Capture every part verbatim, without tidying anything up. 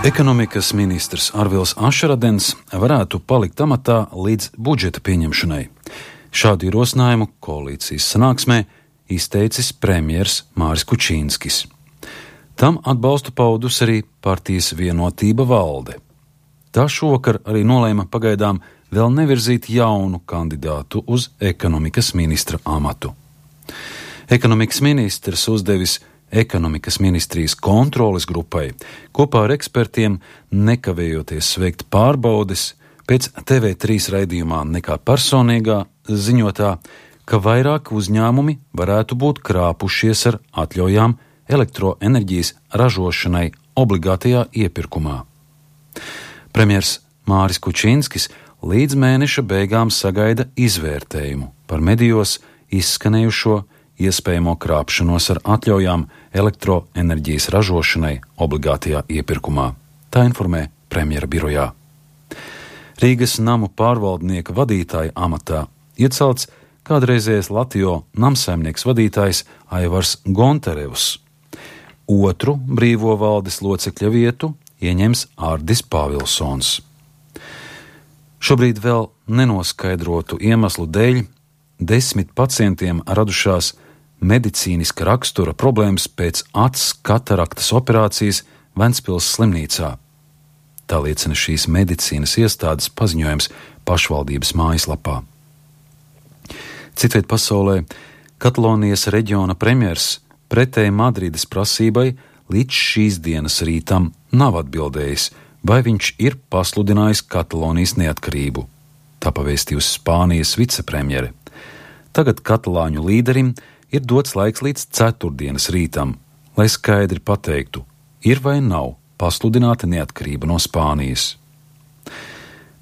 Ekonomikas ministrs Arvils Ašradens varētu palikt amatā līdz budžeta pieņemšanai. Šādu ierosinājumu koalīcijas sanāksmē izteicis premjers Māris Kučīnskis. Tam atbalstu paudus arī partijas Vienotība valde. Tā šovakar arī nolēma pagaidām vēl nevirzīt jaunu kandidātu uz ekonomikas ministra amatu. Ekonomikas ministrs uzdevis ekonomikas ministrijas kontroles grupai kopā ar ekspertiem nekavējoties veikt pārbaudes pēc T V trīs raidījumā Nekā personīgā ziņotā, ka vairāki uzņēmumi varētu būt krāpušies ar atļaujām elektroenerģijas ražošanai obligātajā iepirkumā. Premjers Māris Kučīnskis līdz mēneša beigām sagaida izvērtējumu par medijos izskanējušo iespējamo krāpšanos ar atļaujām elektroenerģijas ražošanai obligātajā iepirkumā. Tā informē premjera birojā. Rīgas namu pārvaldnieka vadītāja amatā iecelts kādreizējais Latjo namsaimnieks vadītājs Aivars Gontarevs. Otru brīvo valdes locekļa vietu ieņems Ārdis Pāvilsons. Šobrīd vēl nenoskaidrotu iemeslu dēļ desmit pacientiem radušās medicīniska rakstura problēmas pēc acs kataraktas operācijas Ventspils slimnīcā. Tā liecina šīs medicīnas iestādes paziņojums pašvaldības mājaslapā. Citviet pasaulē Katalonijas reģiona premjers pretēji Madrides prasībai līdz šīs dienas rītam nav atbildējis, vai viņš ir pasludinājis Katalonijas neatkarību. Tā pavēstījusi Spānijas vicepremjere. Tagad katalāņu līderim ir dots laiks līdz ceturtdienas rītam, lai skaidri pateiktu, ir vai nav pasludināta neatkarība no Spānijas.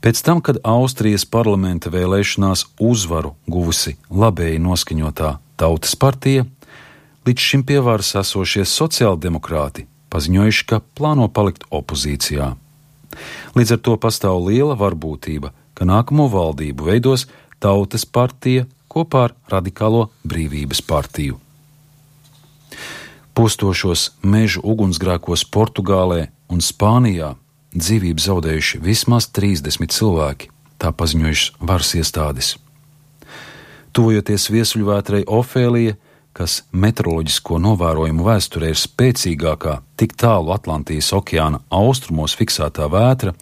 Pēc tam, kad Austrijas parlamenta vēlēšanās uzvaru guvusi labēji noskaņotā Tautas partija, līdz šim pie varas esošie sociāldemokrāti paziņojuši, ka plāno palikt opozīcijā. Līdz ar to pastāv liela varbūtība, ka nākamo valdību veidos Tautas partija kopā ar Radikālo brīvības partiju. Postošos mežu ugunsgrēkos Portugālē un Spānijā dzīvību zaudējuši vismaz trīsdesmit cilvēki, tā paziņojušas varas iestādes. Tuvojoties viesuļvētrai Ofēlija, kas meteoroloģisko novērojumu vēsturē ir spēcīgākā tik tālu Atlantijas okeāna austrumos fiksētā vētra,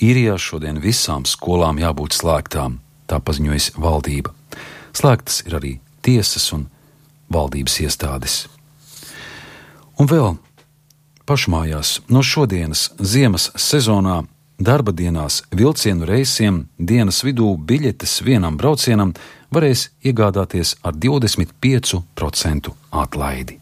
Īrijā šodien visām skolām jābūt slēgtām, tā paziņojas valdība. Slēgtas ir arī tiesas un valdības iestādes. Un vēl pašmājās no šodienas ziemas sezonā darba dienās vilcienu reisiem dienas vidū biļetes vienam braucienam varēs iegādāties ar divdesmit piecu procentu atlaidi.